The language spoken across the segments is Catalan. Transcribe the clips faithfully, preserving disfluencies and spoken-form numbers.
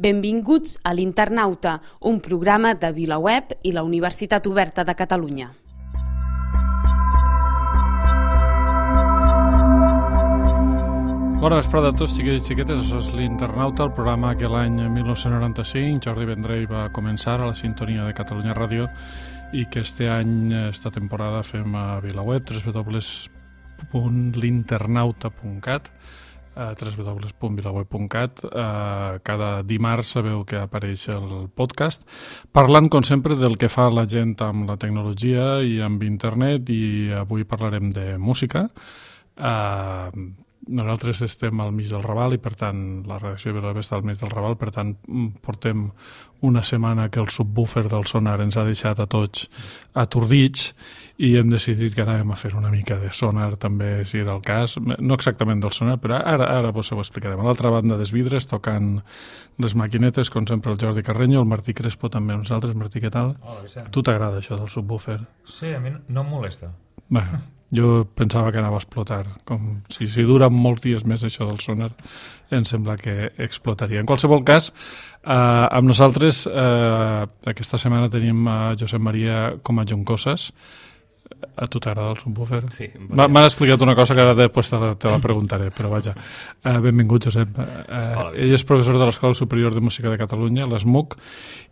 Benvinguts a l'Internauta, un programa de VilaWeb i la Universitat Oberta de Catalunya. Bona vesprada a tots, xiquets i xiquetes. Això és l'Internauta, el programa que l'any dinou noranta-cinc Jordi Vendrell va començar a la sintonia de Catalunya Ràdio i que este any, esta temporada, fem a VilaWeb, w w w punt l'internauta punt cat, w w w punt vilaweb punt cat. Cada dimarts sabeu que apareix el podcast, parlant, com sempre, del que fa la gent amb la tecnologia i amb internet, i avui parlarem de música. Nosaltres estem al mig del Raval i, per tant, la redacció de VilaWeb està al mig del Raval, per tant, portem una setmana que el subwoofer del sonar ens ha deixat a tots atordits i hem decidit que anàvem a fer una mica de sonar també, si era el cas, no exactament del sonar, però ara, ara vos ho explicarem. A l'altra banda dels vidres, tocant les maquinetes, com sempre, el Jordi Carreño, el Martí Crespo també, nosaltres. Martí, què tal? Hola, Vicent. A tu t'agrada això del subwoofer? Sí, a mi no em molesta. Bé, jo pensava que anava a explotar. Com si, si dura molts dies més això del sonar, em sembla que explotaria. En qualsevol cas, eh, amb nosaltres eh, aquesta setmana tenim a Josep Maria com a Joncoses. A tu t'agrada el subwoofer? Sí. M'han explicat una cosa que ara després te la, te la preguntaré, però vaja. Uh, benvingut, Josep. Uh, Hola, ell és professor de l'Escola Superior de Música de Catalunya, l'E S M U C,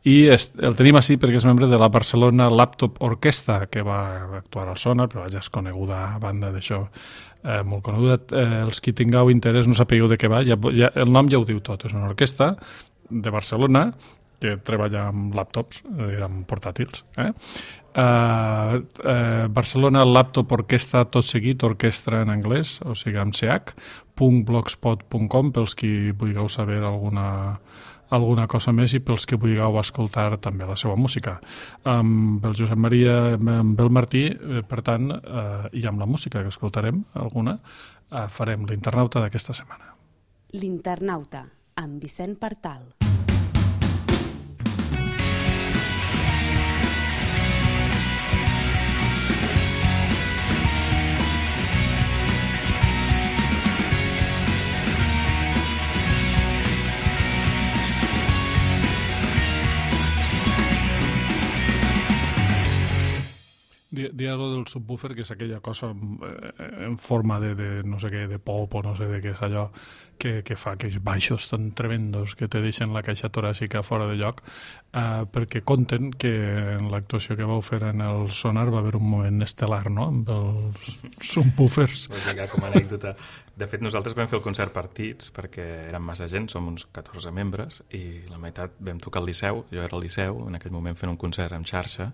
i est, el tenim així perquè és membre de la Barcelona Laptop Orquestra, que va actuar al Sonar, però vaja, és coneguda a banda d'això, eh, molt coneguda. Eh, els que tingueu interès, no sapigueu de què va, ja, ja, el nom ja ho diu tot, és una orquestra de Barcelona que treballa amb laptops, amb portàtils, eh? Uh, uh, Barcelona Laptop Orquestra, tot seguit, orquestra en anglès, o sigui amb ch, punt blogspot punt com, pels que vulgueu saber alguna, alguna cosa més i pels que vulgueu escoltar també la seva música. Amb el Josep Maria, amb el Martí, eh, per tant, uh, i amb la música que escoltarem, alguna, uh, farem l'Internauta d'aquesta setmana. L'Internauta, amb Vicent Partal. Dia lo del subwoofer, que és aquella cosa en forma de, de no sé què, de pop o no sé de què és allò que, que fa aquells baixos tan tremendos que te deixen la caixa toràcica fora de lloc, eh, perquè conten que en l'actuació que vau fer en el Sonar va haver un moment estel·lar, no?, amb els subwoofers. Com a anècdota. De fet, nosaltres vam fer el concert partits perquè érem massa gent, som uns catorze membres, i la meitat vam tocar al Liceu, jo era al Liceu, en aquell moment fent un concert en xarxa,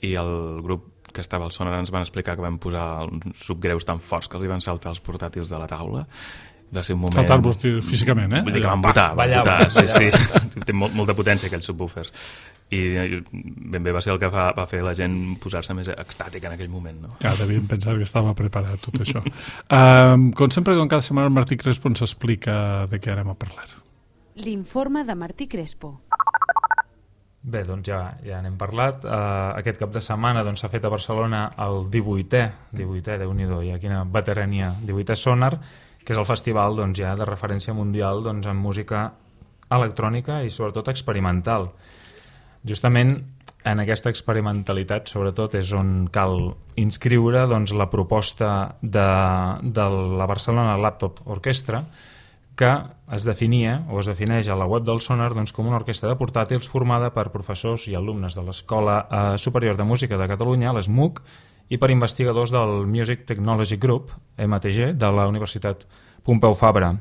i el grup que estava al Sonar ens van explicar que van posar uns subgreus tan forts que els hi van saltar els portàtils de la taula. Va ser un moment... Saltar-vos físicament, eh? Vull dir que van votar, van votar, sí, sí. Té molt, molta potència aquells subwoofers. I ben bé va ser el que va, va fer la gent posar-se més extàtica en aquell moment, no? Ja, devien pensar que estava preparat tot això. um, com sempre, com cada setmana, el Martí Crespo ens explica de què anem a parlar. L'informe de Martí Crespo. Bé, doncs ja, ja n'hem parlat. Uh, aquest cap de setmana doncs, s'ha fet a Barcelona el divuitè, divuitè, Déu-n'hi-do, ja quina veterania, divuitè Sonar, que és el festival doncs, ja de referència mundial doncs, en música electrònica i sobretot experimental. Justament en aquesta experimentalitat sobretot és on cal inscriure doncs, la proposta de, de la Barcelona Laptop Orquestra, que es definia o es defineix a la web del Sonar doncs, com una orquestra de portàtils formada per professors i alumnes de l'Escola eh, Superior de Música de Catalunya, l'E S M U C, i per investigadors del Music Technology Group, M T G, de la Universitat Pompeu Fabra.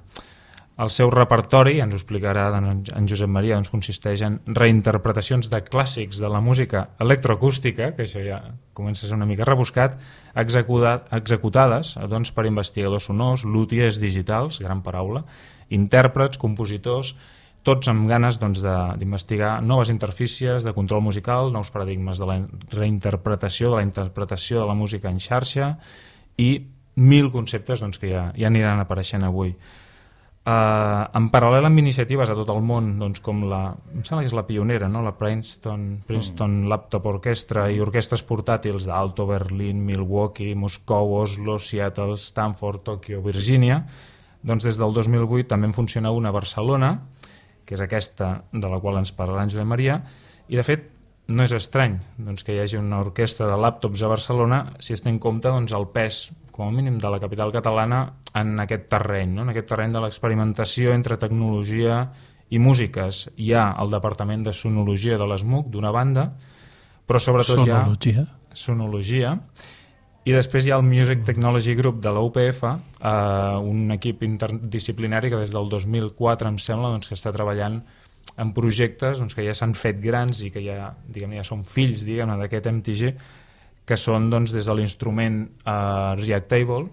El seu repertori, ens ho explicarà doncs, en Josep Maria, doncs, consisteix en reinterpretacions de clàssics de la música electroacústica, que això ja comença a ser una mica rebuscat, executades doncs, per investigadors sonors, luthiers digitals, gran paraula, intèrprets, compositors, tots amb ganes doncs, d'investigar noves interfícies de control musical, nous paradigmes de la reinterpretació, de la interpretació de la música en xarxa i mil conceptes doncs, que ja, ja aniran apareixent avui. Uh, en paral·lel amb iniciatives a tot el món, doncs, com la, em sembla que és la pionera, no? La Princeton, Princeton Laptop Orchestra i orquestres portàtils d'Alto, Berlín, Milwaukee, Moscou, Oslo, Seattle, Stanford, Tòquio, Virgínia, doncs des del dos mil vuit també en funciona una a Barcelona, que és aquesta de la qual ens parlarà en Josep Maria, i de fet no és estrany doncs, que hi hagi una orquestra de làptops a Barcelona si es té en compte doncs, el pes, com a mínim, de la capital catalana en aquest terreny, no? En aquest terreny de l'experimentació entre tecnologia i músiques. Hi ha el Departament de Sonologia de l'ESMUC, d'una banda, però sobretot Sonologia. hi ha Sonologia, i després hi ha el Music Technology Group de la U P F, eh, un equip interdisciplinari que des del dos mil quatre, em sembla, doncs, que està treballant en projectes doncs, que ja s'han fet grans i que ja, diguem, ja són fills d'aquest M T G, que són doncs, des de l'instrument eh, Reactable,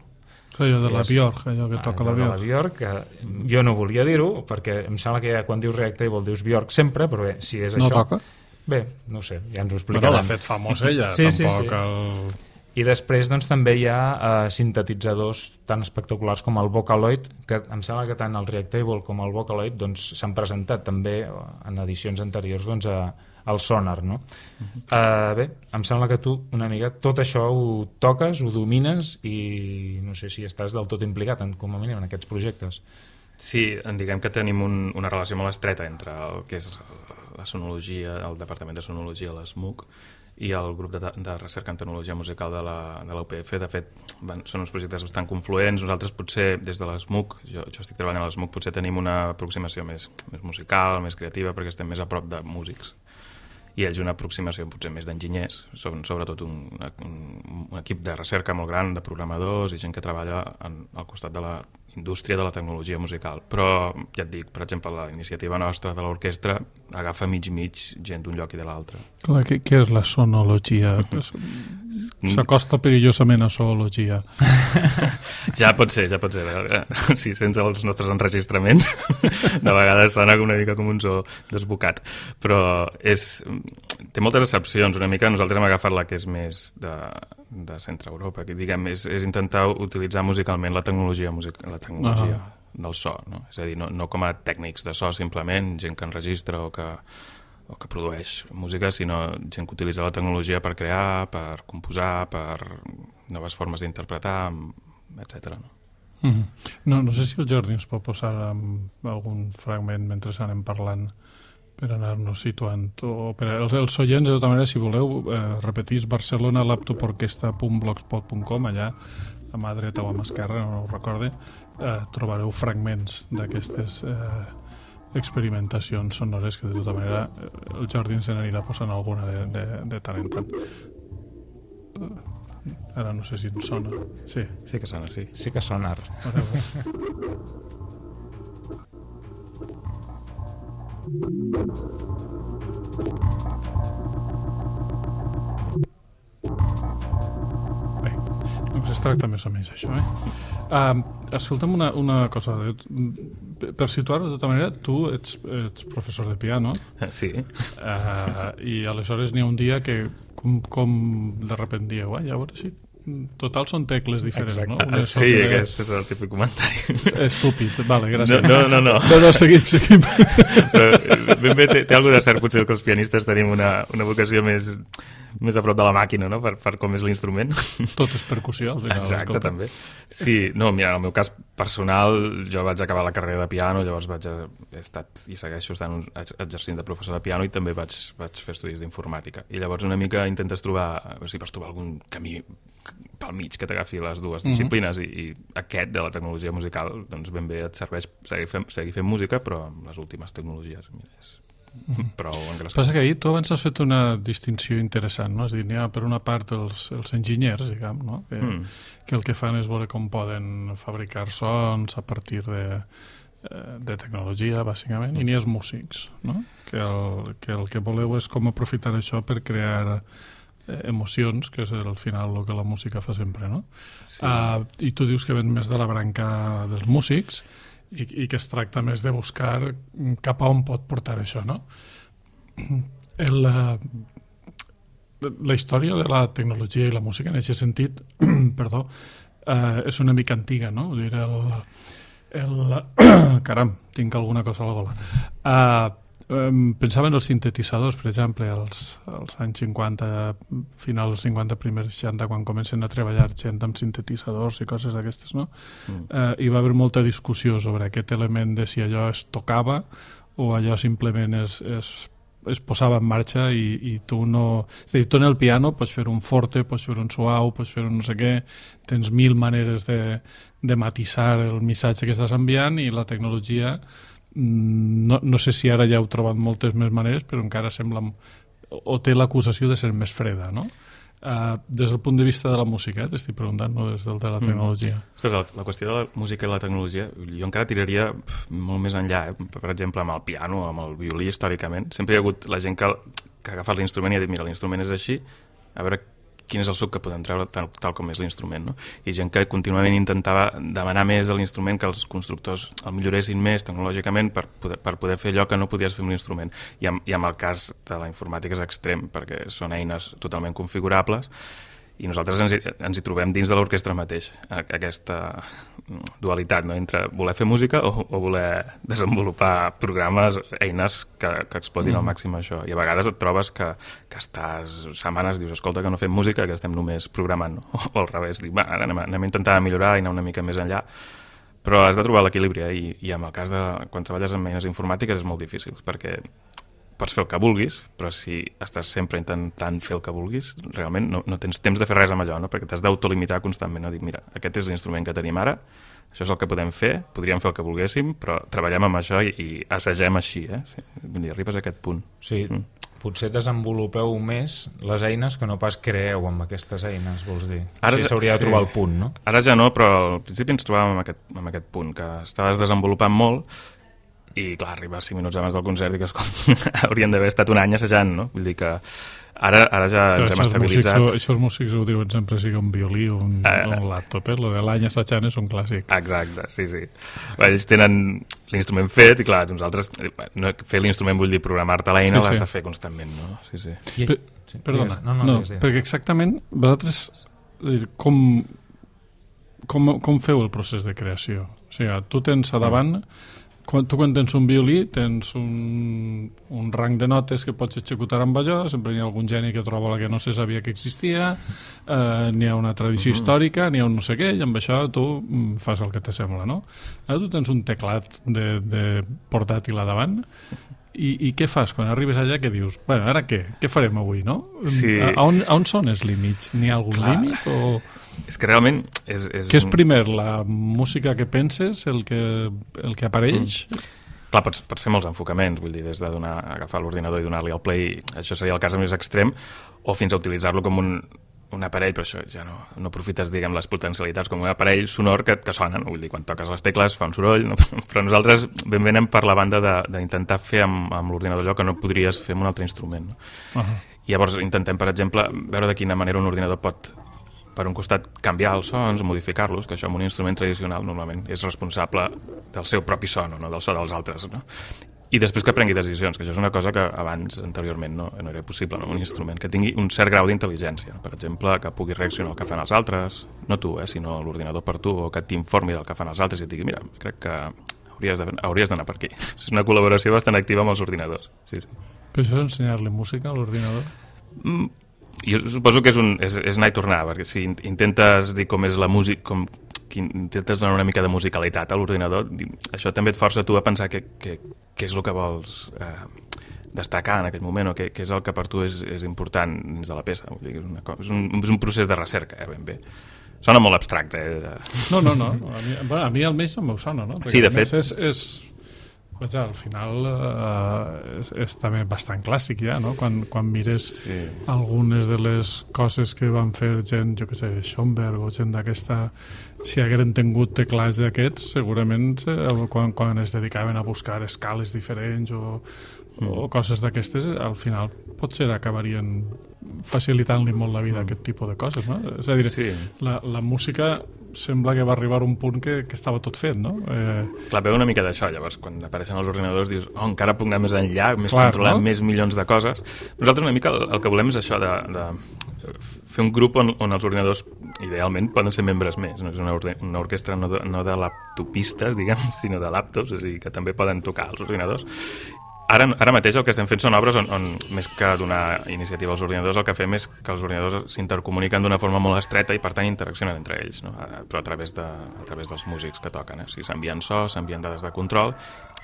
allò de la Björk, allò que toca la Björk. Björk. La Björk, que jo no volia dir-ho, perquè em sembla que ja, quan dius Reactable dius Björk sempre, però bé, si és no això... No toca? Bé, no ho sé, ja ens ho explicaran. Però l'ha fet famós ella, sí, tampoc sí, sí. el... I després doncs, també hi ha eh, sintetitzadors tan espectaculars com el Vocaloid, que em sembla que tant el Reactable com el Vocaloid doncs, s'han presentat també en edicions anteriors doncs, a, al Sonar. No? Uh-huh. eh, bé, em sembla que tu una mica tot això ho toques, ho domines i no sé si estàs del tot implicat en, com a mínim en aquests projectes. Sí, diguem que tenim un, una relació molt estreta entre el que és la sonologia, el Departament de Sonologia de l'ESMUC i el grup de, de recerca en tecnologia musical de la, de la U P F. De fet, van, són uns projectes bastant confluents. Nosaltres potser, des de l'ESMUC, jo, jo estic treballant a l'ESMUC, potser tenim una aproximació més, més musical, més creativa, perquè estem més a prop de músics. I ells una aproximació potser més d'enginyers, són sobretot un, un, un equip de recerca molt gran, de programadors i gent que treballa en, al costat de la indústria de la tecnologia musical. Però, ja et dic, per exemple, la iniciativa nostra de l'orquestra agafa mig-mig gent d'un lloc i de l'altre. Què, què és la sonologia? S'acosta perillosament a zoologia. Ja pot ser, ja pot ser. Si sense els nostres enregistraments, de vegades sona una mica com un zoo desbocat. Però és, té moltes excepcions. Una mica nosaltres hem agafat la que és més de, de centre Europa, que diguem, és, és intentar utilitzar musicalment la tecnologia, music, la tecnologia uh-huh. del so, no? És a dir, no, no com a tècnics de so simplement, gent que enregistra o que, o que produeix música, sinó gent que utilitza la tecnologia per crear, per composar, per noves formes d'interpretar, etcètera. No? Mm-hmm. no, no sé si el Jordi ens pot posar algun fragment mentre anem parlant per anar-nos situant. O per els, els oients, de tota manera, si voleu, eh, repetís barcelona laptop orquestra punt blogspot punt com, allà a mà dreta o a mà esquerra, no ho recorde, eh, trobareu fragments d'aquestes eh, experimentacions sonores que, de tota manera, el Jordi ens n'anirà posant alguna de, de, de tant en tant. Uh, ara no sé si ens sona. Sí, sí que sona, sí. Sí que sona. Bé, doncs es tracta més o menys això, eh? Uh, escolta'm una, una cosa. Per situar-ho de tota manera, tu ets, ets professor de piano. Sí. Uh, I aleshores n'hi ha un dia que com, com de repent dieu, eh, ja veure si total són tecles diferents, exacte. No? Unes sí, més... aquest és el típic comentari. Estúpid, vale, gràcies. No, no, no. No, no, no seguim, seguim. Però, ben bé, té, té alguna cert, potser que els pianistes tenim una, una vocació més, més a prop de la màquina, no? Per, per com és l'instrument. Tot és percussió, al final. Exacte, escolta. també. Sí, no, mira, en el meu cas personal, jo vaig acabar la carrera de piano, llavors vaig, he estat i segueixo estant exercint de professor de piano i també vaig, vaig fer estudis d'informàtica. I llavors una mica intentes trobar, a veure si pots trobar algun camí pel mig que t'agafi les dues disciplines mm-hmm. i, i aquest de la tecnologia musical doncs ben bé et serveix seguir fent, seguir fent música però amb les últimes tecnologies. Mira, és mm-hmm. prou engrescat. Passa que ahir tu abans has fet una distinció interessant, no? És a dir, n'hi ha per una part els, els enginyers, diguem, no? Que, mm. que el que fan és veure com poden fabricar sons a partir de, de tecnologia, bàsicament, mm. i n'hi ha els músics, no? Que el, que el que voleu és com aprofitar això per crear emocions, que és al final el que la música fa sempre, no? Sí. Uh, I tu dius que ven més de la branca dels músics i, i que es tracta més de buscar cap a on pot portar això, no? El, uh, la història de la tecnologia i la música en aquest sentit perdó, uh, és una mica antiga, no? Vull dir, el, el caram, tinc alguna cosa a la gola. Uh, Um, pensava en els sintetitzadors, per exemple, als, als anys cinquanta, finals dels cinquanta, primers seixanta, quan comencen a treballar gent amb sintetitzadors i coses d'aquestes, no? Mm. Uh, hi va haver molta discussió sobre aquest element de si allò es tocava o allò simplement es, es, es posava en marxa i, i tu no... És a dir, tu en el piano pots fer un forte, pots fer un suau, pots fer un no sé què, tens mil maneres de, de matisar el missatge que estàs enviant i la tecnologia, no, no sé si ara ja heu trobat moltes més maneres, però encara sembla... o té l'acusació de ser més freda, no? Uh, des del punt de vista de la música, eh, t'estic preguntant, no des del de la tecnologia. Mm. Ostres, la, la qüestió de la música i la tecnologia, jo encara tiraria pf, molt més enllà, eh? Per exemple, amb el piano, amb el violí, històricament. Sempre hi ha hagut la gent que, que ha agafat l'instrument i ha dit, mira, l'instrument és així, a veure quin és el suc que podem treure tal, tal com és l'instrument, no? I gent que contínuament intentava demanar més de l'instrument, que els constructors el milloressin més tecnològicament per poder, per poder fer allò que no podies fer amb l'instrument. I, amb, I amb el cas de la informàtica és extrem, perquè són eines totalment configurables i nosaltres ens hi, ens hi trobem dins de l'orquestra mateix, aquesta dualitat, no? Entre voler fer música o, o voler desenvolupar programes, eines que, que explotin mm. al màxim això. I a vegades et trobes que, que estàs setmanes, dius, escolta, que no fem música, que estem només programant, no? O, o al revés, dic, va, ara anem, anem a intentar millorar i anar una mica més enllà. Però has de trobar l'equilibri, eh? I, i en el cas de quan treballes amb eines informàtiques és molt difícil, perquè pots fer el que vulguis, però si estàs sempre intentant fer el que vulguis, realment no, no tens temps de fer res amb allò, no? Perquè t'has d'autolimitar constantment, no? Dic, mira, aquest és l'instrument que tenim ara, això és el que podem fer, podríem fer el que volguéssim, però treballem amb això i, i assagem així, eh? Sí, vull dir, arribes a aquest punt. Sí, mm. Potser desenvolupeu més les eines que no pas creeu amb aquestes eines, vols dir? Ara sí, s'hauria de trobar sí. el punt, no? Ara ja no, però al principi ens trobàvem amb aquest, amb aquest punt, que estaves desenvolupant molt i, clar, arribar cinc minuts abans del concert i que, escolta, haurien d'haver estat un any assajant, no? Vull dir que ara, ara ja però ens hem estabilitzat. Músics, això els músics ho diuen sempre, sigui un violí o un, uh, un laptop, eh? Lo de l'any assajant és un clàssic. Exacte, sí, sí. Ells tenen l'instrument fet i, clar, nosaltres, no, fer l'instrument vull dir programar-te l'eina, sí, l'has sí. de fer constantment, no? Sí, sí. I, per, sí. Perdona, no, no, no, no perquè exactament vosaltres com, com, com feu el procés de creació? O sigui, tu tens a davant... Mm. Quan, tu quan tens un violí tens un, un rang de notes que pots executar amb allò, sempre hi ha algun geni que troba la que no se sabia que existia, eh, n'hi ha una tradició mm-hmm. històrica, n'hi ha un no sé què, i amb això tu fas el que te sembla, no? Ara tu tens un teclat de, de portàtil a davant, i, i què fas quan arribes allà que dius, bueno, ara què? Què farem avui, no? Sí. A, a, on, a on són els límits? N'hi ha algun Clar. límit o... És que realment... És, és Què és primer, la música que penses, el que, el que apareix? Mm. Clar, pots, pots fer molts enfocaments, vull dir, des de donar, agafar l'ordinador i donar-li el play, això seria el cas més extrem, o fins a utilitzar-lo com un, un aparell, però això ja no, no aprofites, diguem, les potencialitats com un aparell sonor que, que sona, no? Vull dir, quan toques les tecles fa un soroll, no? Però nosaltres ben bé anem per la banda d'intentar fer amb, amb l'ordinador allò que no podries fer amb un altre instrument, no? Uh-huh. I llavors intentem, per exemple, veure de quina manera un ordinador pot... per un costat canviar els sons, modificar-los, que això amb un instrument tradicional normalment és responsable del seu propi son, no del so dels altres, no? I després que prengui decisions, que això és una cosa que abans, anteriorment, no, no era possible, no? Un instrument que tingui un cert grau d'intel·ligència, per exemple, que pugui reaccionar al que fan els altres, no tu, eh, sinó l'ordinador per tu, o que t'informi del que fan els altres i et digui, mira, crec que hauries d'anar per aquí. És una col·laboració bastant activa amb els ordinadors. Sí, sí. Però això és ensenyar-li música a l'ordinador? Mm. Jo suposo que és, un, és, és anar i tornar, perquè si intentes dir com és la música, com que intentes donar una mica de musicalitat a l'ordinador, això també et força tu a pensar què que, que és el que vols eh, destacar en aquell moment, o què és el que per tu és, és important dins de la peça. Vull dir, és, una, és, un, és un procés de recerca, eh, ben bé. Sona molt abstracte. Eh? No, no, no. A mi, bueno, a mi almenys no m'ho sona, no? Perquè sí, de fet. És, és, Vaja, al final eh, és, és també bastant clàssic ja, no? Quan, quan mires sí. algunes de les coses que van fer gent, jo què sé, Schoenberg o gent d'aquesta, si hagueren tingut teclats d'aquests, segurament eh, quan, quan es dedicaven a buscar escales diferents o, mm. o coses d'aquestes, al final potser acabarien facilitant-li molt la vida a aquest tipus de coses, no? És a dir, sí. la, la música sembla que va arribar a un punt que, que estava tot fet, no? Eh... Clar, veu una mica d'això, llavors, quan apareixen els ordinadors dius, oh, encara puc anar més enllà, més Clar, controlar no? més milions de coses. Nosaltres una mica el, el que volem és això de, de fer un grup on, on els ordinadors idealment poden ser membres més, no és una, or una orquestra no de, no de laptopistes, diguem, sinó de laptops, és a dir, que també poden tocar els ordinadors. Ara, ara mateix el que estem fent són obres on, on més que donar iniciativa als ordinadors, el que fem és que els ordinadors s'intercomuniquen d'una forma molt estreta i per tant interaccionen entre ells, no? Però a través, de, a través dels músics que toquen. Eh? O sigui, s'envien so, s'envien dades de control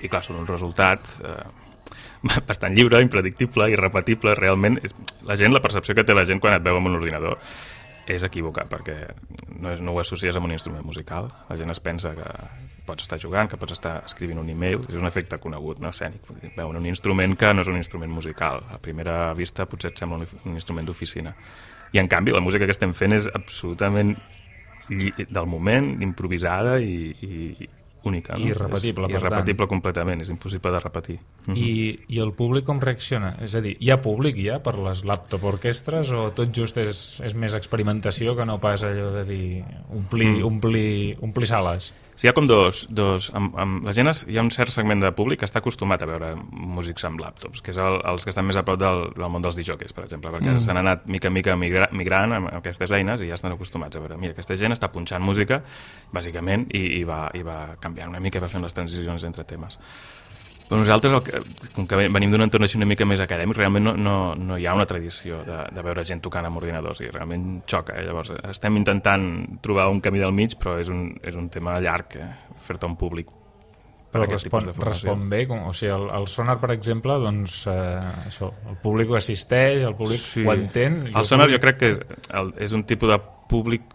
i clar, són un resultat eh, bastant lliure, impredictible, irrepetible. Realment, és, la gent, la percepció que té la gent quan et veu amb un ordinador és equivocar, perquè no, és, no ho associes amb un instrument musical. La gent es pensa que pots estar jugant, que pots estar escrivint un email, és un efecte conegut, no? Escènic. Veuen un instrument que no és un instrument musical. A primera vista potser et sembla un, un instrument d'oficina. I en canvi la música que estem fent és absolutament del moment, improvisada i, i única. No? Irrepetible, és, per irrepetible tant. completament, és impossible de repetir. I, I el públic com reacciona? És a dir, hi ha públic ja per les laptop orquestres o tot just és, és més experimentació que no pas allò de dir omplir, mm. omplir, omplir sales? Sí, hi ha com dos... dos amb, amb la gent es, hi ha un cert segment de públic que està acostumat a veure músics amb laptops, que és el, els que estan més a prop del, del món dels disjòqueis, per exemple, perquè mm. s'han anat mica en mica migra, migrant amb aquestes eines i ja estan acostumats a veure, mira, aquesta gent està punxant música, bàsicament, i, i, va, i va canviant una mica i va fent les transicions entre temes. Però nosaltres, el que, com que venim d'un entorn així una mica més acadèmic, realment no, no, no hi ha una tradició de, de veure gent tocant amb ordinadors i realment xoca. Eh? Llavors, estem intentant trobar un camí del mig, però és un, és un tema llarg, eh? Fer-te un públic. Però respon, respon bé, com, o sigui, el, el Sonar, per exemple, doncs, eh, això, el públic ho assisteix, el públic sí. ho entén. El Sonar públic... jo crec que és, el, és un tipus de públic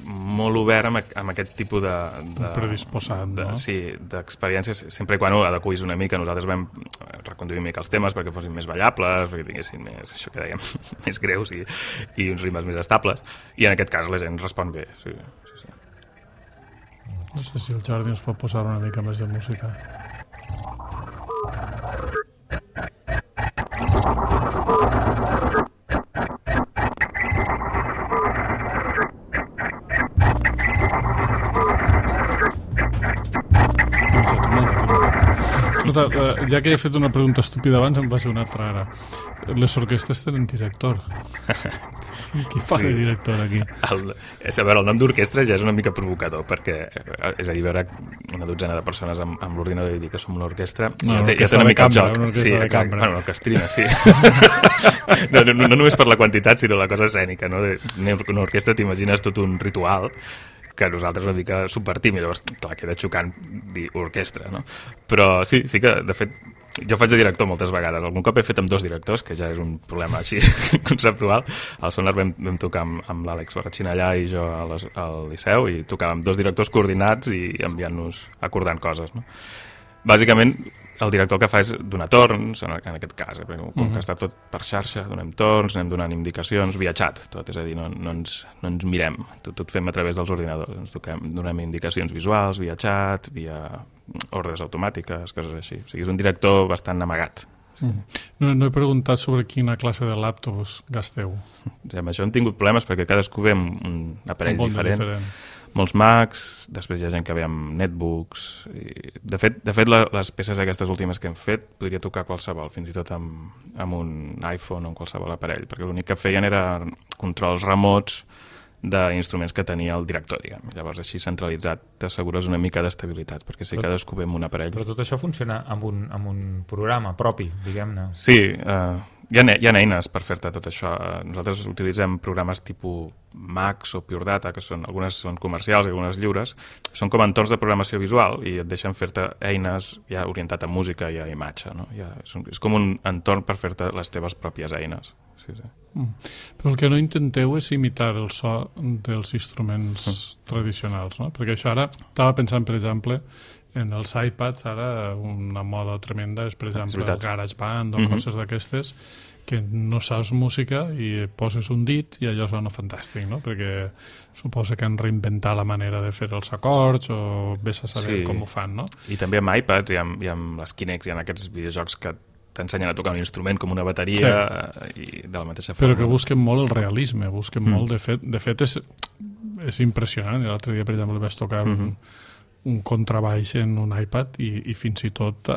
molt obert amb, amb aquest tipus de... de predisposat, de, no? Sí, d'experiències, sempre i quan ho adequis una mica. Nosaltres vam reconduir una mica els temes perquè fossin més ballables, perquè tinguessin més, això que dèiem, més greus i, i uns ritmes més estables. I en aquest cas la gent respon bé, sí, sí, sí. No sé si el Jordi ens pot posar una mica més de música. Escolta, ja que he fet una pregunta estúpida abans, em faig una altra ara. Les orquestres tenen director. Qui fa sí. de director aquí? El, és, a veure, el nom d'orquestra ja és una mica provocador, perquè és a dir, veure una dotzena de persones amb, amb l'ordinador i dir que som una orquestra, no, ja, té, ja té una mica cambra, el joc. Sí, exacte. Bueno, una orquestrina, sí. no, no, no només per la quantitat, sinó la cosa escènica, no? Una orquestra t'imagines tot un ritual que nosaltres una mica subvertim i llavors, clar, queda xocant dir orquestra, no? Però sí, sí que, de fet, jo faig de director moltes vegades. Algun cop he fet amb dos directors, que ja és un problema així conceptual. Al Sonar vam, vam tocar amb, amb l'Àlex Barratxinallà i jo a les, al Liceu i tocàvem dos directors coordinats i enviant-nos, acordant coses, no? Bàsicament, el director el que fa és donar torns, en, en aquest cas, eh? Perquè com uh-huh. que està tot per xarxa, donem torns, anem donant indicacions, via xat, tot, és a dir, no, no, ens, no ens mirem, tot, tot fem a través dels ordinadors, ens toquem, donem indicacions visuals, via xat, via ordres automàtiques, coses així. O sigui, és un director bastant amagat. Sí. Uh-huh. No, no he preguntat sobre quina classe de laptops gasteu. Sí, amb això hem tingut problemes perquè cadascú ve amb un aparell un diferent. diferent. Molts Macs, després hi ha gent que ve amb netbooks. I de fet, de fet la, les peces aquestes últimes que hem fet podria tocar qualsevol, fins i tot amb, amb un iPhone o amb qualsevol aparell, perquè l'únic que feien era controls remots d'instruments que tenia el director, diguem. Llavors, així centralitzat, t'assegures una mica d'estabilitat, perquè si però, cadascú ve amb un aparell... Però tot això funciona amb un, amb un programa propi, diguem-ne. Sí, uh, hi, ha, hi ha eines per fer-te tot això. Nosaltres utilitzem programes tipus Max o Pure Data, que són, algunes són comercials i algunes lliures, són com entorns de programació visual i et deixen fer-te eines ja orientat a música i a imatge, no? Ja, és, un, és com un entorn per fer-te les teves pròpies eines. Sí, sí. Mm. Però el que no intenteu és imitar el so dels instruments mm. tradicionals, no? Perquè això ara, estava pensant, per exemple, en els iPads, ara una moda tremenda és, per exemple, el GarageBand o mm-hmm. coses d'aquestes, que no saps música i poses un dit i allò sona fantàstic, no? Perquè suposa que han reinventat la manera de fer els acords o vés a saber sí. com ho fan, no? I també amb iPads i amb, i amb les Kinects i en aquests videojocs que t'ensenyen a tocar un instrument com una bateria sí. i de la mateixa forma. Però que busquen molt el realisme, busquen mm. molt, de fet, de fet és, és impressionant. L'altre dia, per exemple, vaig tocar mm-hmm. un, un contrabaix en un iPad i, i fins i tot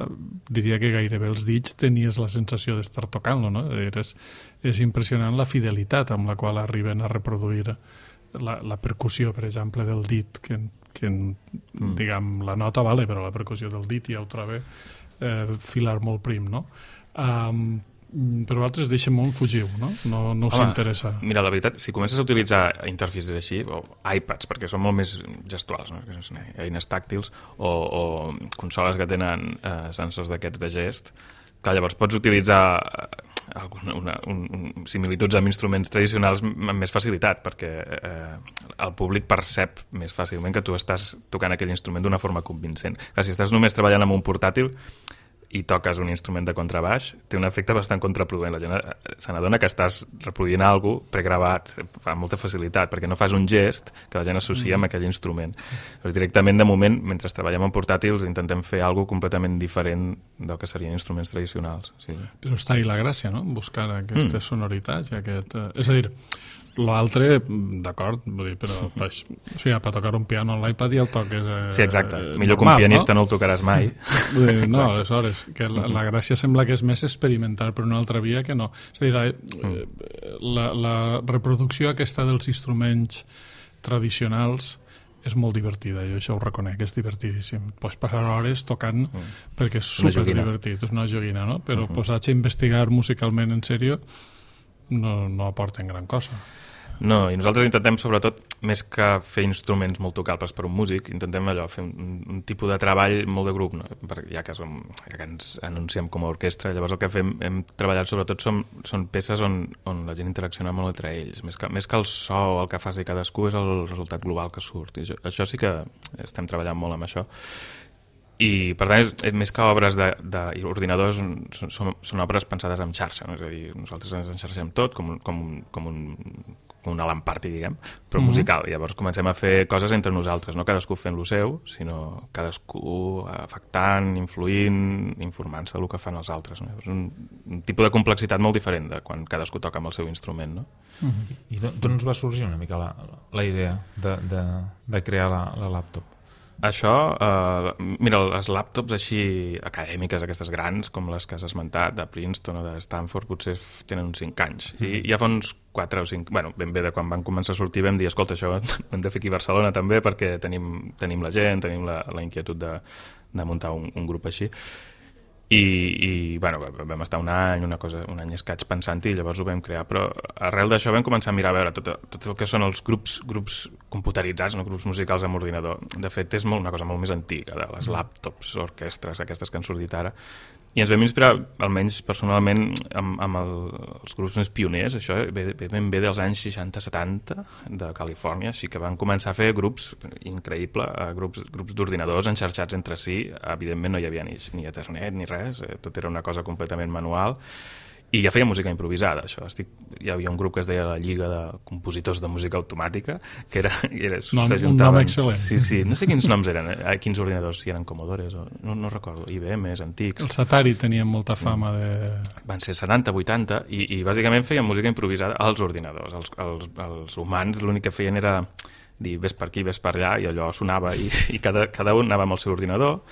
diria que gairebé els dits tenies la sensació d'estar tocant-lo, no? És, és impressionant la fidelitat amb la qual arriben a reproduir la, la percussió, per exemple, del dit, que, que mm. diguem, la nota vale, però la percussió del dit ja ho trobo eh, filar molt prim, no? Um, però vosaltres deixen molt fugiu, no? No, no us Home, interessa. Mira, la veritat, si comences a utilitzar interfaces així, o iPads, perquè són molt més gestuals, no? Eines tàctils, o, o consoles que tenen eh, sensors d'aquests de gest, clar, llavors pots utilitzar alguna, una, un, un, similituds amb instruments tradicionals amb més facilitat, perquè eh, el públic percep més fàcilment que tu estàs tocant aquell instrument d'una forma convincent. Clar, si estàs només treballant amb un portàtil i toques un instrument de contrabaix, té un efecte bastant contraproduent. La gent se n'adona que estàs reproduint alguna cosa pregravat, fa molta facilitat, perquè no fas un gest que la gent associa amb aquell instrument. Però directament, de moment, mentre treballem en portàtils, intentem fer alguna cosa completament diferent del que serien instruments tradicionals. Sí. Però està ahí la gràcia, no?, buscar aquestes mm. sonoritats i aquest... Eh, és a dir, l'altre, d'acord, vull dir, però per, o sigui, per tocar un piano en l'iPad ja el toques... Eh, sí, exacte. Millor normal, que un pianista no, no el tocaràs mai. Dir, no, aleshores, que la, la gràcia sembla que és més experimentar per una altra via que no. És a dir, la, la, la reproducció aquesta dels instruments tradicionals és molt divertida, jo això ho reconec, és divertidíssim. Pots passar hores tocant mm. perquè és superdivertit, és una joguina, no? Però uh-huh. posats a investigar musicalment en sèrio no, no aporten gran cosa. No, i nosaltres intentem, sobretot, més que fer instruments molt tocables per un músic, intentem allò, fer un, un tipus de treball molt de grup, no? Perquè ja que, som, ja que ens anunciem com a orquestra, llavors el que fem, hem treballat sobretot són, són peces on, on la gent interacciona molt entre ells, més que, més que el so o el que faci cadascú és el resultat global que surt, i això, això sí que estem treballant molt amb això. I, per tant, és, més que obres d'ordinadors, són, són, són obres pensades en xarxa, no? És a dir, nosaltres ens enxarxem tot com, com, com un com un Alan Party, diguem, però mm-hmm. musical. Llavors comencem a fer coses entre nosaltres, no cadascú fent lo seu, sinó cadascú afectant, influint, informant-se del que fan els altres. No? És un, un tipus de complexitat molt diferent de quan cadascú toca amb el seu instrument. No? Mm-hmm. I d'on us va sorgir una mica la, la idea de, de, de crear la, la laptop? Això, eh, mira, les làptops així acadèmiques, aquestes grans, com les que has esmentat, de Princeton o de Stanford, potser tenen uns cinc anys. Mm. I ja fa uns quatre o cinc... Bueno, ben bé de quan van començar a sortir vam dir, escolta, això ho hem de fer aquí a Barcelona també perquè tenim, tenim la gent, tenim la, la inquietud de, de muntar un, un grup així. I, i bueno, vam estar un any, una cosa, un any escaig pensant-hi i llavors ho vam crear, però arrel d'això vam començar a mirar a veure tot, tot el que són els grups, grups computeritzats, no? Grups musicals amb ordinador. De fet, és molt, una cosa molt més antiga, de les làptops, orquestres, aquestes que han sortit ara. I ens vam inspirar, almenys personalment, amb, amb el, els grups més pioners, això ve, ve ben bé dels anys seixanta setanta de Califòrnia, així que van començar a fer grups, increïble, grups, grups d'ordinadors enxarxats entre si, evidentment no hi havia ni, ni internet ni res, tot era una cosa completament manual, i ja feia música improvisada, això. Estic, hi havia un grup que es deia la Lliga de Compositors de Música Automàtica, que era... era nom, un nom excel·lent. Sí, sí, no sé quins noms eren, eh? Quins ordinadors, si eren Commodores, o, no, no recordo, I B M, antics. Els Atari tenien molta sí. fama de... Van ser setanta, vuitanta, i, i bàsicament feien música improvisada als ordinadors. Els, els, els humans l'únic que feien era dir, ves per aquí, ves per allà, i allò sonava, i, i cada, cada un anava amb el seu ordinador,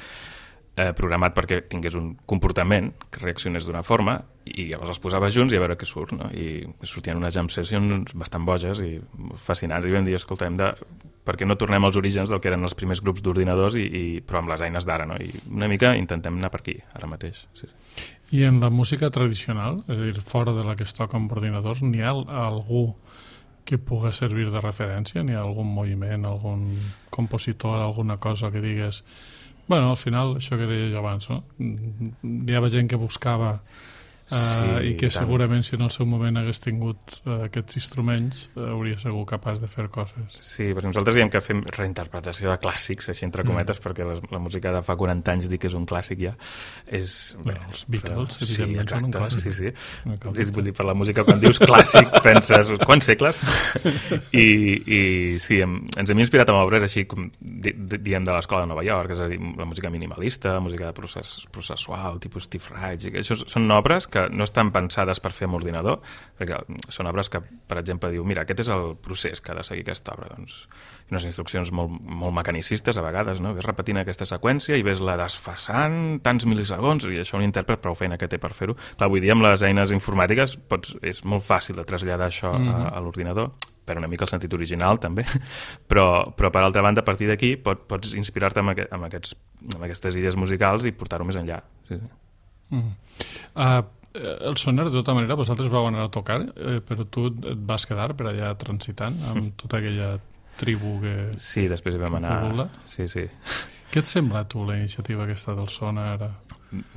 Eh, programat perquè tingués un comportament que reaccionés d'una forma i llavors els posava junts i a veure què surt, no? I sortien unes jam sessions bastant boges i fascinants i vam dir, escolta, hem de... per què no tornem als orígens del que eren els primers grups d'ordinadors i, i... però amb les eines d'ara, no? I una mica intentem anar per aquí, ara mateix. Sí, sí. I en la música tradicional, és a dir, fora de la que es toca amb ordinadors, n'hi ha algú que pugui servir de referència? N'hi ha algun moviment, algun compositor, alguna cosa que digues... Bueno, al final, això que deia jo abans, no? Hi havia gent que buscava uh, sí, i que tant. Segurament si en el seu moment hagués tingut uh, aquests instruments uh, hauria segur capaç de fer coses. Sí, perquè nosaltres diem que fem reinterpretació de clàssics, així entre cometes, mm. perquè les, la música de fa quaranta anys dir que és un clàssic ja és... Bé, bé, els Beatles, però, evidentment, sí, són un clàssic. Sí, sí. No vull dir, per la música, quan dius clàssic, penses, quants segles? I, i sí, hem, ens hem inspirat amb obres així, com di, di, diem de l'escola de Nova York, és a dir, la música minimalista, música de procés, processual, tipus Steve Reich, això són obres que no estan pensades per fer amb ordinador, perquè són obres que, per exemple, diu, mira, aquest és el procés que ha de seguir aquesta obra, doncs, unes instruccions molt, molt mecanicistes a vegades, no? Ves repetint aquesta seqüència i ves la desfasant tants mil·lisegons, i això un intèrpret prou feina que té per fer-ho. Clar, avui dia amb les eines informàtiques pots, és molt fàcil de traslladar això mm-hmm. a, a l'ordinador, perd una mica el sentit original també, però, però per altra banda a partir d'aquí pot, pots inspirar-te amb, aquest, amb, aquests, amb aquestes idees musicals i portar-ho més enllà. Sí, sí. Mm. Uh, el Sonar, de tota manera, vosaltres vau anar a tocar, eh, però tu et vas quedar per allà transitant amb tota aquella tribu que... Sí, després hi vam anar... Sí, sí. Què et sembla, tu, la iniciativa aquesta del Sonar?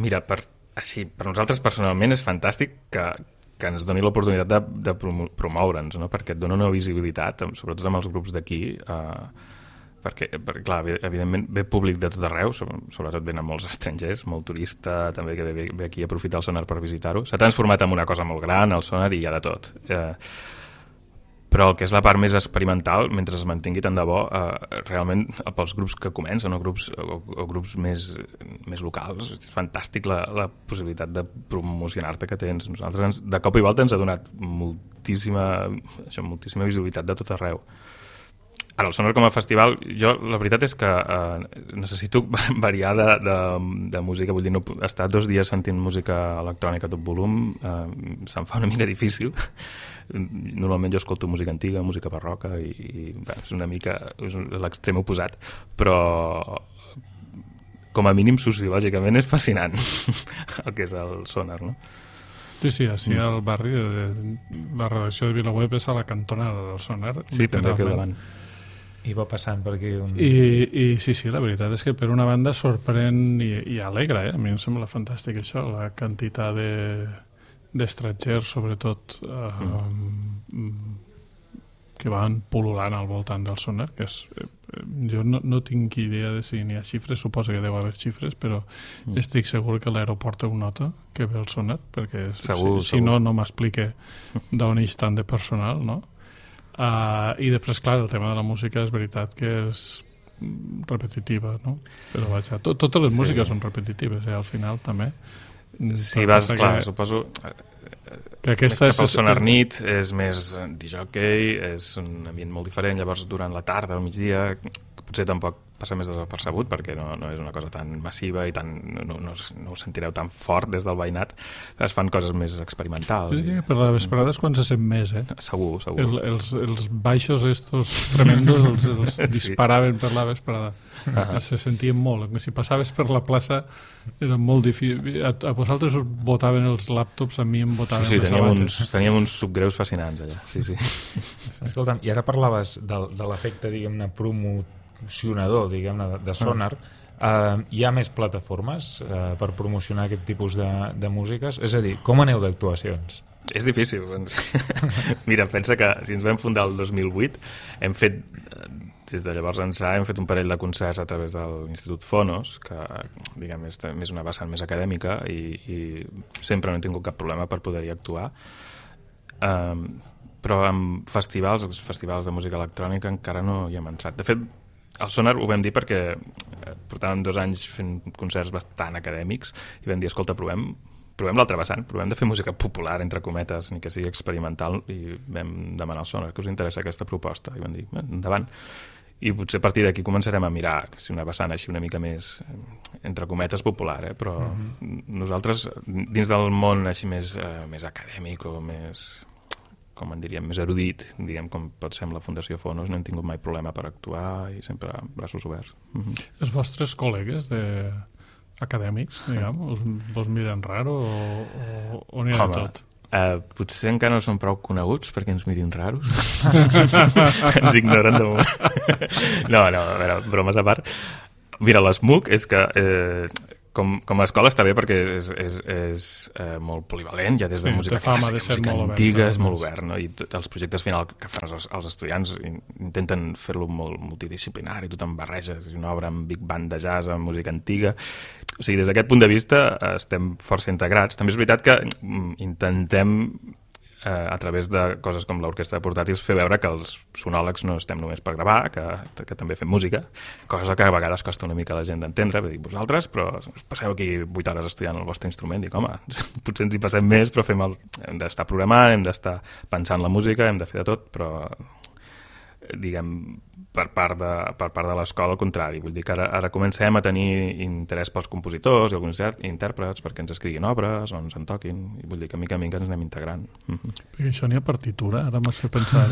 Mira, per, així, per nosaltres personalment és fantàstic que, que ens doni l'oportunitat de, de promoure'ns, no? Perquè et dona una visibilitat, sobretot amb els grups d'aquí, eh, perquè, perquè, clar, evidentment ve públic de tot arreu, sobretot venen molts estrangers, molt turista, també que ve, ve aquí a aprofitar el Sonar per visitar-ho. S'ha transformat en una cosa molt gran, el Sonar, i hi ha de tot. Eh, però el que és la part més experimental, mentre es mantingui tant de bo, eh, realment pels grups que comencen o grups, o, o grups més, més locals, és fantàstic la, la possibilitat de promocionar-te que tens. Nosaltres ens, de cop i volta ens ha donat moltíssima, això, moltíssima visibilitat de tot arreu. Ara, el Sonar com a festival, jo la veritat és que eh, necessito variar de, de, de música, vull dir, no, estar dos dies sentint música electrònica a tot volum eh, se'm fa una mica difícil. Normalment jo escolto música antiga, música barroca i, i bé, és una mica és l'extrem oposat, però com a mínim sociològicament és fascinant el que és el Sonar, no? Sí, sí, així al barri de, la redacció de VilaWeb és a la cantonada del Sonar. Sí, també aquí al davant. I va passant per aquí un... I, i sí, sí, la veritat és que per una banda sorprèn i, i alegra, eh? A mi em sembla fantàstic això, la quantitat de d'estrangers, sobretot, eh, mm. que van pol·lulant al voltant del Sonar, que és, eh, jo no, no tinc idea de si n'hi ha xifres, suposo que deu haver xifres, però mm. estic segur que l'aeroport ho nota, que ve el Sonar, perquè segur, si, si no, no m'explique d'on hi tant de personal, no? Uh, I després, clar, el tema de la música és veritat que és repetitiva, no? Però vaja, to totes les sí. músiques són repetitives, eh, al final també. Si vas, clar, que... suposo que aquesta més cap al Sonar nit, és més disjockey, és un ambient molt diferent, llavors durant la tarda, al migdia, potser tampoc passa més desapercebut perquè no, no és una cosa tan massiva i tan, no, no, no ho sentireu tan fort des del veïnat, es fan coses més experimentals. Sí, per la vesprada és quan se sent més, eh? Segur, segur. El, els, els baixos estos tremendos els, els sí. disparaven per la vesprada. Uh-huh. Se sentien molt. Si passaves per la plaça era molt difícil. A, a vosaltres us botaven els làptops, a mi em botaven sí, sí, les teníem sabates. Uns, teníem uns subgreus fascinants allà. Sí, sí. Escolta'm, i ara parlaves de, de l'efecte, diguem-ne, promocionador, diguem-ne, de, de Sonar. Uh, hi ha més plataformes uh, per promocionar aquest tipus de, de músiques? És a dir, com aneu d'actuacions? És difícil. Mira, pensa que si ens vam fundar el dos mil vuit hem fet, des de llavors ençà, hem fet un parell de concerts a través de l'Institut Fonos, que diguem, és més una vessant més acadèmica i, i sempre no he tingut cap problema per poder-hi actuar. Um, però amb festivals, els festivals de música electrònica encara no hi hem entrat. De fet, al Sonar ho vam dir perquè portàvem dos anys fent concerts bastant acadèmics i vam dir, escolta, provem provem l'altre vessant, provem de fer música popular, entre cometes, ni que sigui experimental, i vam demanar al Sonar que us interessa aquesta proposta, i vam dir, endavant. I potser a partir d'aquí començarem a mirar si una vessant així una mica més, entre cometes, popular, eh? Però mm-hmm. nosaltres, dins del món així més, eh, més acadèmic o més, com en diríem, més erudit, diguem, com pot ser amb la Fundació Fonos, no hem tingut mai problema per actuar i sempre braços oberts. Mm-hmm. Els vostres col·legues de... acadèmics, diguem, us, vos miren raro o, o, o n'hi ha Home, tot? Uh, potser encara no són prou coneguts perquè ens mirin raros. Ens ignoren de moment. No, no, a veure, bromes a part. Mira, l'ESMUC és que eh, com, com a escola està bé perquè és, és, és eh, molt polivalent, ja des de sí, música clàssica, de música molt antiga, obert, és molt obert, no? I tot, els projectes final que fan els, els estudiants intenten fer-lo molt multidisciplinari, tothom barreja, és una obra amb big band de jazz, amb música antiga. O sigui, des d'aquest punt de vista estem força integrats. També és veritat que intentem eh, a través de coses com l'orquestra de portàtils fer veure que els sonòlegs no estem només per gravar, que, que també fem música, cosa que a vegades costa una mica a la gent d'entendre, dir, vosaltres, però passeu aquí vuit hores estudiant el vostre instrument, dic, home, potser ens hi passem més, però fem el... hem d'estar programant, hem d'estar pensant la música, hem de fer de tot, però diguem, per part de, per part de l'escola, al contrari. Vull dir que ara, ara comencem a tenir interès pels compositors i alguns intèrprets perquè ens escriguin obres o ens en toquin, i vull dir que mica a mica ens anem integrant. Perquè això n'hi ha partitura, ara m'has fet pensar.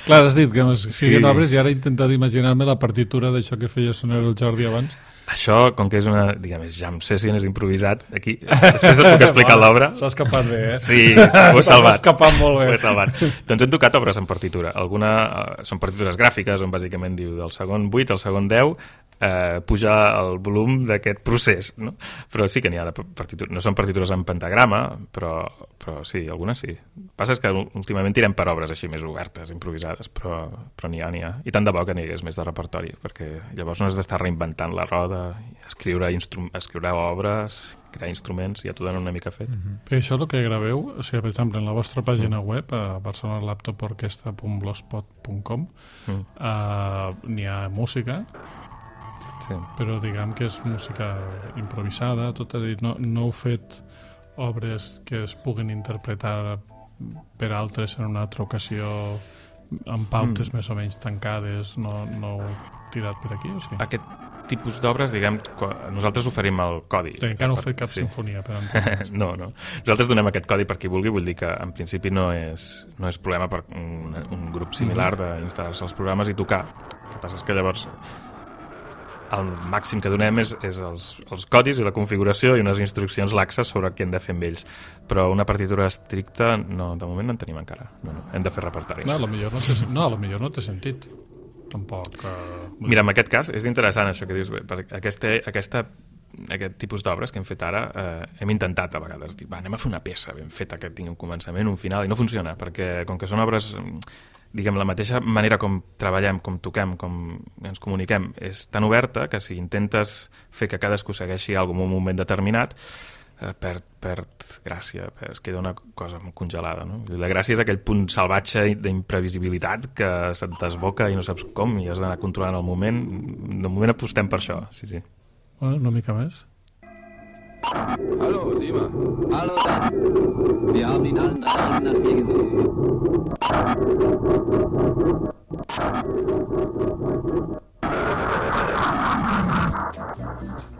Clar, has dit que m'escriguin sí. obres i ara he intentat imaginar-me la partitura d'això que feia sonar el Jordi abans. Això, com que és una, diguem, jam session, és improvisat, aquí, després et puc explicar l'obra. S'ha escapat bé, eh? Sí, ho he salvat. S'ha escapat molt bé. Ho he salvat. Doncs hem tocat obres en partitura. Alguna, uh, són partitures gràfiques, on bàsicament diu del segon vuit al segon deu, eh, pujar el volum d'aquest procés, no? Però sí que n'hi ha de partitures. No són partitures en pentagrama, però, però sí, algunes sí. El que passa és que últimament tirem per obres així més obertes, improvisades, però, però n'hi ha, n'hi ha. I tant de bo que n'hi hagués més de repertori, perquè llavors no has d'estar reinventant la roda, escriure, instru escriure obres, crear instruments, ja t'ho donen una mica fet. Mm-hmm. Per això el que graveu, o sigui, per exemple, en la vostra pàgina mm. web, a barcelona laptop orquestra punt blogspot punt com, mm. uh, n'hi ha música, sí. però diguem que és música improvisada, tot a dir, no, no heu fet obres que es puguin interpretar per altres en una altra ocasió amb pautes mm. més o menys tancades, no, no heu tirat per aquí, o sigui? Aquest tipus d'obres, diguem, nosaltres oferim el codi. Sí, encara no heu fet cap sí. sinfonia, per entendre's. No, no. Nosaltres donem aquest codi per qui vulgui, vull dir que en principi no és, no és problema per un, un grup similar mm-hmm. d'instal·lar-se als programes i tocar. El que passa és que llavors el màxim que donem és, és els, els codis i la configuració i unes instruccions laxes sobre què hem de fer amb ells. Però una partitura estricta, no, de moment no en tenim encara. No, no. Hem de fer repertori. No, potser no, té, no, potser no té sentit. Tampoc... Uh... Mira, en aquest cas és interessant això que dius, perquè aquesta, aquesta, aquest tipus d'obres que hem fet ara eh, hem intentat a vegades dir, va, anem a fer una peça ben feta que tingui un començament, un final, i no funciona, perquè com que són obres, diguem, la mateixa manera com treballem, com toquem, com ens comuniquem, és tan oberta que si intentes fer que cadascú segueixi alguna en un moment determinat, eh, perd, perd gràcia, es queda una cosa congelada, no? La gràcia és aquell punt salvatge d'imprevisibilitat que se't desboca i no saps com i has d'anar controlant el moment. De moment apostem per això, sí, sí. Bueno, una mica més. Hallo, Sima. Hallo, Dan. Wir haben in allen drei Orten nach dir gesucht.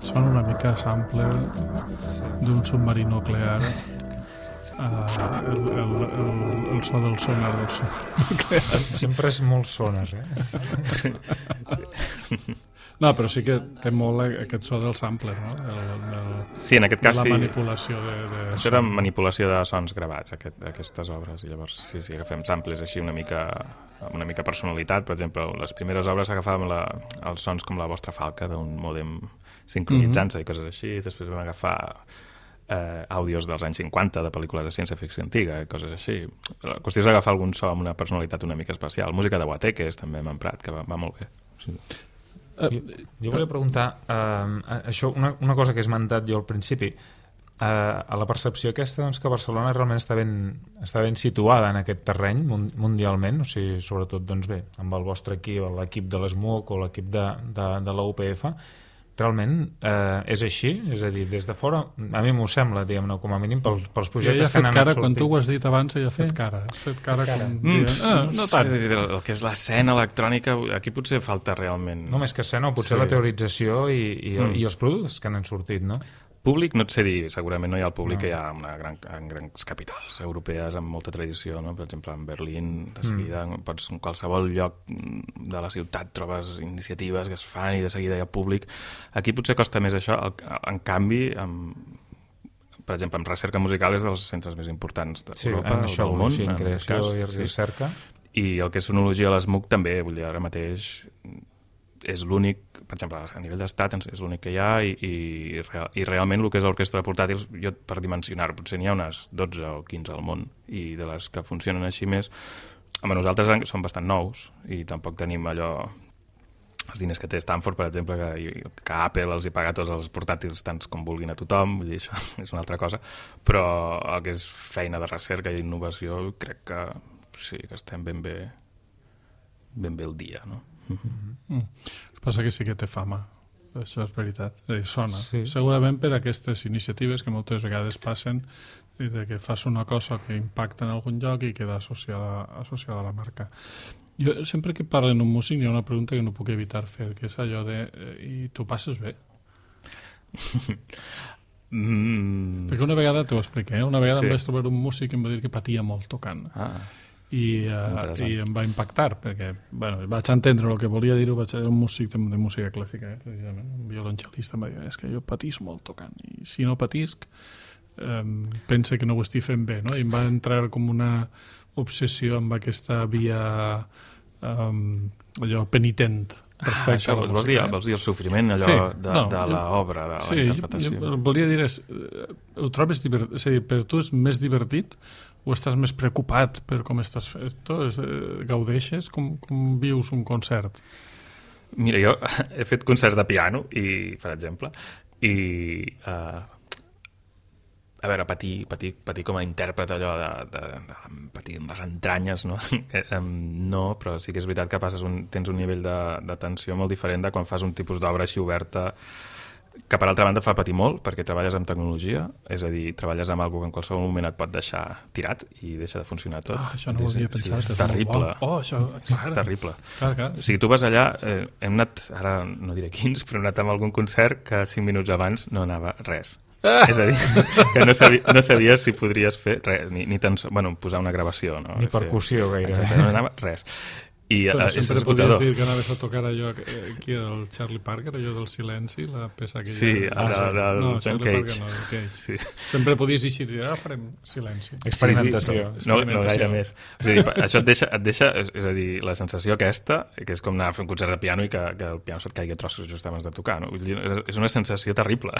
Sona una mica sampler d'un submarí nuclear, uh, el, el, el, el so del sonar del sonar nuclear. Sempre és molt sonar, eh? No, però sí que té molt aquest so del sampler, no? El, el, sí, en aquest cas la sí. La manipulació de, de Això era manipulació de sons gravats, aquest, aquestes obres, i llavors sí, sí, agafem samples així una mica amb una mica personalitat. Per exemple, les primeres obres agafàvem la, els sons com la vostra falca d'un mòdem sincronitzant-se mm-hmm. i coses així. Després vam agafar eh, àudios dels anys cinquanta de pel·lícules de ciència-ficció antiga, coses així. La qüestió és agafar algun so amb una personalitat una mica especial. Música de Guateques també m'ha emprat, que va, va molt bé. Sí. Uh, jo, jo volia preguntar uh, això, una, una cosa que he esmentat jo al principi, uh, a la percepció aquesta doncs, que Barcelona realment està ben, està ben situada en aquest terreny mundialment, o sigui, sobretot doncs bé, amb el vostre equip, l'equip de l'ESMUC o l'equip de, de, de la U P F, realment eh, és així? És a dir, des de fora, a mi m'ho sembla, diguem-ne, com a mínim, pels, pels projectes que han anat cara, sortint. Quan tu ho has dit abans, ella ha fet cara. Has fet cara, fet cara. Com... Mm, ah, no tant. Sí, el que és l'escena electrònica, aquí potser falta realment... No més que escena, potser sí. La teorització i, i, mm. i els productes que han sortit, no? Públic, no et sé dir, segurament no hi ha el públic no. que hi ha una gran, en grans capitals europees amb molta tradició, no? Per exemple, en Berlín, de seguida, mm. pots, en qualsevol lloc de la ciutat trobes iniciatives que es fan i de seguida hi ha públic. Aquí potser costa més això, en canvi, amb, per exemple, en recerca musical és dels centres més importants d'Europa sí, o del món. Sí, en creació en cas, i recerca. Sí. I el que és sonologia a l'ESMUC també, vull dir, ara mateix és l'únic, per exemple, a nivell d'estat és l'únic que hi ha i, i, i realment el que és l'orquestra de portàtils, jo per dimensionar, potser n'hi ha unes dotze o quinze al món i de les que funcionen així més, home, nosaltres són bastant nous i tampoc tenim allò, els diners que té Stanford, per exemple, que, que Apple els hi paga tots els portàtils tants com vulguin a tothom, vull dir, això és una altra cosa, però el que és feina de recerca i innovació crec que sí, que estem ben bé ben bé el dia, no? Mm-hmm. Mm. El que passa que sí que té fama això és veritat. Eh, sona. Sí. Segurament per aquestes iniciatives que moltes vegades passen i de que fas una cosa que impacta en algun lloc i queda associada, associada a la marca. Jo sempre que parlo en un músic hi ha una pregunta que no puc evitar fer, que és allò de eh, i tu passes bé? mm. Perquè una vegada t'ho expliqué, eh? una vegada Sí. em vaig trobar un músic que em va dir que patia molt tocant. Ah, I, uh, Interessant. i em va impactar perquè bueno, vaig entendre el que volia dir-ho, vaig era un músic de, de música clàssica, eh, precisament, un violoncel·lista em va dir, és que jo patís molt tocant i si no patisc um, pense que no ho estic fent bé, no? I em va entrar com una obsessió amb aquesta via um, allò penitent respecte ah, això, a la vols, música, dir, eh? vols dir el sofriment allò Sí, de, no, de jo- l'obra, de la Sí, interpretació? jo, jo volia dir és, eh, ho trobes divertit, és a dir, per tu és més divertit o estàs més preocupat per com estàs fet? Tu és, eh, gaudeixes? Com, com vius un concert? Mira, jo he fet concerts de piano, i, per exemple, i uh, a veure, patir, patir, patir com a intèrpret allò de, de, de patir amb les entranyes, no? no, però sí que és veritat que passes un, tens un nivell de, de tensió molt diferent de quan fas un tipus d'obra així oberta, que per altra banda fa patir molt perquè treballes amb tecnologia, és a dir, treballes amb alguna que en qualsevol moment et pot deixar tirat i deixa de funcionar tot. Ah, això no ho havia pensat. Sí, és és terrible. molt bo. Oh, això, clar. És terrible. Clar, clar. O sigui, tu vas allà, eh, hem anat, ara no diré quins, però hem anat amb algun concert que cinc minuts abans no anava res. Ah! És a dir, que no, sabia, no sabies si podries fer res, ni, ni tan, bueno, posar una gravació. No? Ni percussió, gaire. Exacte, no anava res. I Però eh, és sempre podies esgotador. dir que anaves a tocar allò, eh, qui era el Charlie Parker, allò del silenci, la peça aquella... Sí, el ah, de- sí. del no, John Charlie Cage. Parker no, el Cage. Sí. Sempre podies dir, ara farem silenci. Experimentació. Sí, sí, no, no gaire més. És a dir, això et deixa, et deixa, és, és a dir, la sensació aquesta, que és com anar a fer un concert de piano i que, que el piano se't caigui a trossos just abans de tocar, no? Vull dir, és una sensació terrible.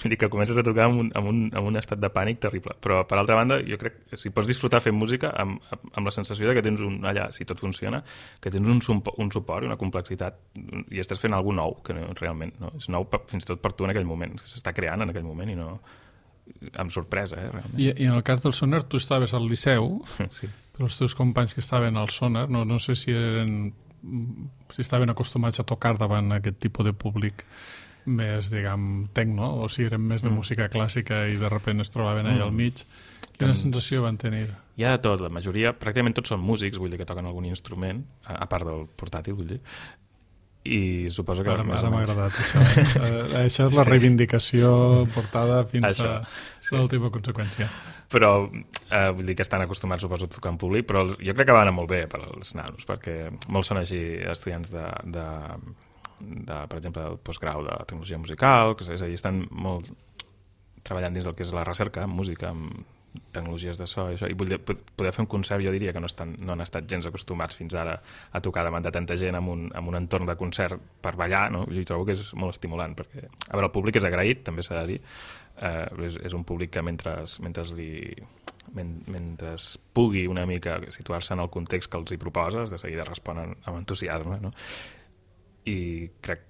Vull dir que comences a tocar amb un, amb un, amb un estat de pànic terrible. Però, per altra banda, jo crec que si pots disfrutar fent música amb, amb la sensació de que tens un, allà, si tot funciona, que tens un, un suport i una complexitat i estàs fent alguna nou, que no, realment no, és nou per, fins i tot per tu en aquell moment, s'està creant en aquell moment i no... amb sorpresa, eh, realment. I, I en el cas del Sonar, tu estaves al Liceu, Sí. però els teus companys que estaven al Sonar, no, no sé si eren si estaven acostumats a tocar davant aquest tipus de públic més, diguem, tecno, o si eren més de Mm. música clàssica i de sobte es trobaven allà al mig. Quina Doncs- sensació van tenir? Hi ha de tot, la majoria, pràcticament tots són músics, vull dir que toquen algun instrument, a, a part del portàtil, vull dir, i suposo que... Ara, més ara o m'ha menys- agradat això. Eh, això és la Sí. reivindicació portada fins Això, a sí. l'última conseqüència. Però eh, vull dir que estan acostumats, suposo, a tocar en públic, però els- jo crec que va anar molt bé per als nanos, perquè molts són així estudiants de, de, de per exemple, del postgrau de tecnologia musical, que és a dir, estan molt treballant dins del que és la recerca en música, amb tecnologies de so i això, i vull dir, poder fer un concert, jo diria que no, estan, no han estat gens acostumats fins ara a tocar davant de tanta gent amb un, amb un entorn de concert per ballar, no? Jo trobo que és molt estimulant, perquè, a veure, el públic és agraït, també s'ha de dir, eh, és, és un públic que mentre, mentre li men, mentre pugui una mica situar-se en el context que els hi proposes, de seguida responen amb entusiasme, no? I crec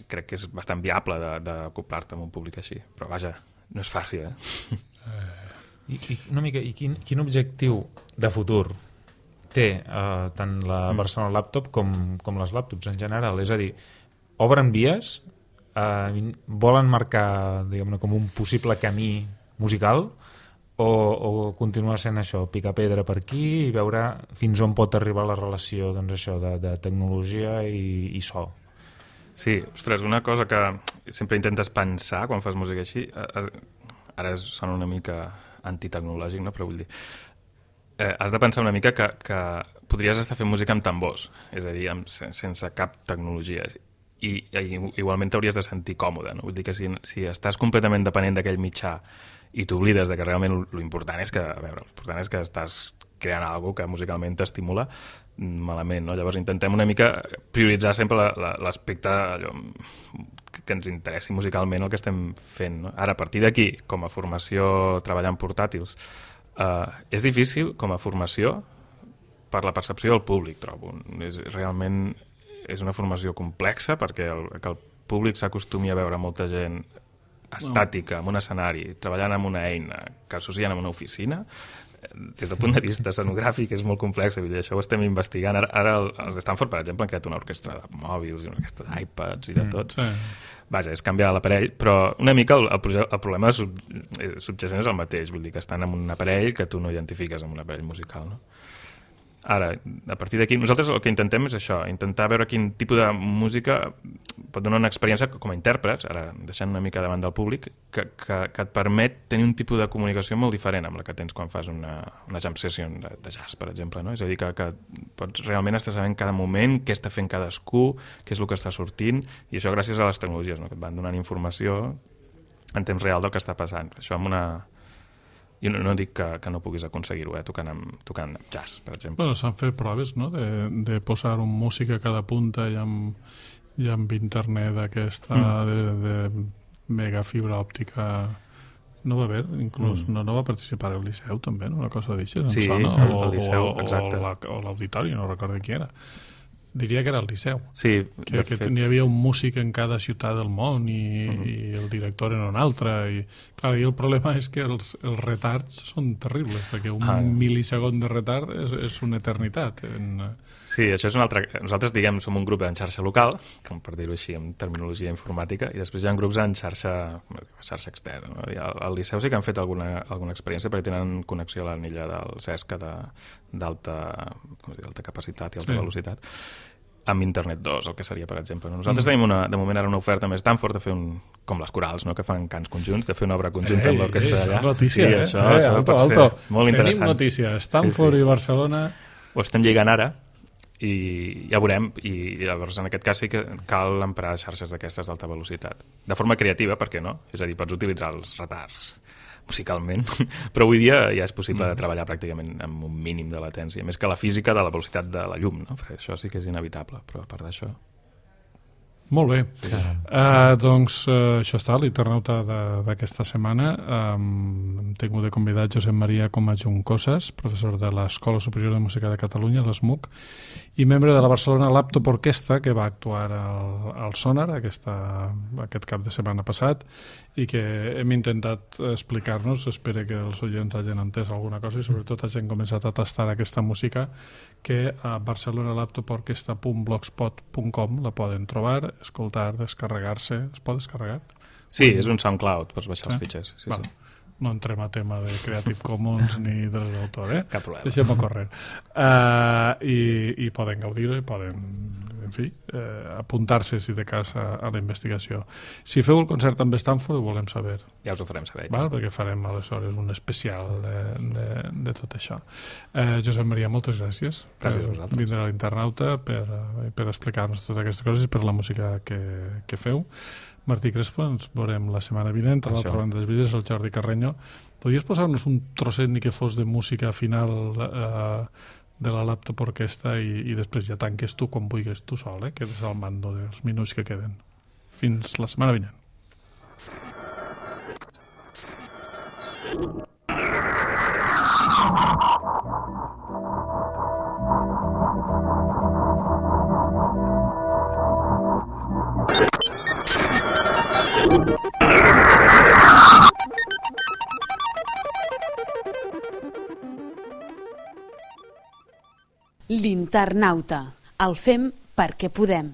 crec que és bastant viable d'acoplar-te amb un públic així, però vaja, no és fàcil, eh? I, i una mica, i quin, quin objectiu de futur té eh, tant la Barcelona Laptop com, com les laptops en general? És a dir, obren vies, eh, volen marcar, diguem-ne, com un possible camí musical o, o continua sent això, picar pedra per aquí i veure fins on pot arribar la relació, doncs això, de, de tecnologia i, i so? Sí, ostres, una cosa que sempre intentes pensar quan fas música així, ara sona una mica antitecnològic, no? Però vull dir, eh, has de pensar una mica que, que podries estar fent música amb tambors, és a dir, amb, sense cap tecnologia, i, i igualment t'hauries de sentir còmode, no? Vull dir que si, si estàs completament dependent d'aquell mitjà i t'oblides de que realment l'important és que, a veure, l'important és que estàs creant alguna que musicalment t'estimula, malament, no? Llavors intentem una mica prioritzar sempre l'aspecte allò que ens interessi musicalment el que estem fent, no? Ara, a partir d'aquí, com a formació treballant portàtils, eh, és difícil com a formació per la percepció del públic, trobo. És, realment és una formació complexa perquè el, que el públic s'acostumi a veure molta gent estàtica, en un escenari, treballant amb una eina que associen amb una oficina, des del punt de vista escenogràfic és molt complex, vull dir, això ho estem investigant. Ara, ara els de Stanford, per exemple, han creat una orquestra de mòbils i una orquestra d'iPads i de tot. Mm, sí. Vaja, és canviar l'aparell, però una mica el, el, el problema sub, subjacent és el mateix, vull dir que estan en un aparell que tu no identifiques amb un aparell musical, no? Ara, a partir d'aquí, nosaltres el que intentem és això, intentar veure quin tipus de música pot donar una experiència com a intèrprets, ara deixant una mica davant del públic, que, que, que et permet tenir un tipus de comunicació molt diferent amb la que tens quan fas una, una jam session de, de jazz, per exemple, no? És a dir, que, que pots realment estar sabent cada moment què està fent cadascú, què és el que està sortint, i això gràcies a les tecnologies, no? Que et van donant informació en temps real del que està passant. Això amb una... Jo no, no dic que, que no puguis aconseguir-ho, eh, tocant, amb, tocant amb jazz, per exemple. Bueno, s'han fet proves, no?, de, de posar un músic a cada punta i amb, i amb internet aquesta mm. de, de mega fibra òptica. No va haver, inclús, mm. no, no va participar el Liceu, també, no? Una cosa d'això, sí, sona, o, el Liceu, o, exacte. O l'auditori, no recordo qui era. Diria que era el Liceu. Sí, que, que hi havia un músic en cada ciutat del món i, uh-huh. i el director en una altra. I, clar, i el problema és que els, els retards són terribles, perquè un ah. mil·lisegon de retard és, és una eternitat. En... Sí, això és un altre... Nosaltres, diguem, som un grup en xarxa local, com per dir-ho així, en terminologia informàtica, i després hi ha grups en xarxa, xarxa externa. No? I al, al Liceu sí que han fet alguna, alguna experiència perquè tenen connexió a l'anella del Cesca d'alta capacitat i alta sí. velocitat, amb Internet dos, el que seria, per exemple. Nosaltres mm. tenim una, de moment ara una oferta més Stanford de fer un, com les corals, no?, que fan cants conjunts, de fer una obra conjunta ei, amb l'orquestra d'allà. Notícia, sí, eh? això, eh, això alto, pot alto. ser molt interessant. Tenim notícia, Stanford sí, sí. i Barcelona... Ho estem lligant ara, i ja veurem, i llavors en aquest cas sí que cal emprar xarxes d'aquestes d'alta velocitat. De forma creativa, per què no? És a dir, pots utilitzar els retards musicalment, però avui dia ja és possible mm. de treballar pràcticament amb un mínim de latència, més que la física de la velocitat de la llum, no? Perquè això sí que és inevitable, però a part d'això... Molt bé. Sí. Uh, doncs uh, això està, l'internauta d'aquesta setmana. Um, hem tingut de convidat Josep Maria Coma Juncoses, professor de l'Escola Superior de Música de Catalunya, l'ESMUC, i membre de la Barcelona Laptop Orquestra, que va actuar al, al Sonar aquesta, aquest cap de setmana passat, i que hem intentat explicar-nos, espero que els oients hagin entès alguna cosa i sobretot hagin començat a tastar aquesta música, que a barcelona laptop orquestra punt blogspot punt com la poden trobar, escoltar, descarregar-se. Es pot descarregar? Sí, és un SoundCloud, pots baixar els fitxers. Sí, bueno, sí. No entrem a tema de Creative Commons ni drets d'autor, eh? Cap problema. Deixem-ho córrer. Uh, i, I poden gaudir-ho, poden, en fi, eh, apuntar-se, si de cas, a, a la investigació. Si feu el concert amb Stanford, ho volem saber. Ja us ho farem saber. Val? Perquè farem, aleshores, un especial de, de, de tot això. Eh, Josep Maria, moltes gràcies. Gràcies a vosaltres. Per vindre a l'internauta, per, per explicar-nos totes aquestes coses i per la música que, que feu. Martí Crespo, ens veurem la setmana vinent, a l'altra banda dels vídeos, el Jordi Carreño. Podries posar-nos un trosset ni que fos de música final eh, de la Laptop Orquestra i, i després ja tanques tu quan vulguis tu sol, eh? Quedes al mando dels minuts que queden. Fins la setmana vinent. L'internauta. El fem perquè podem.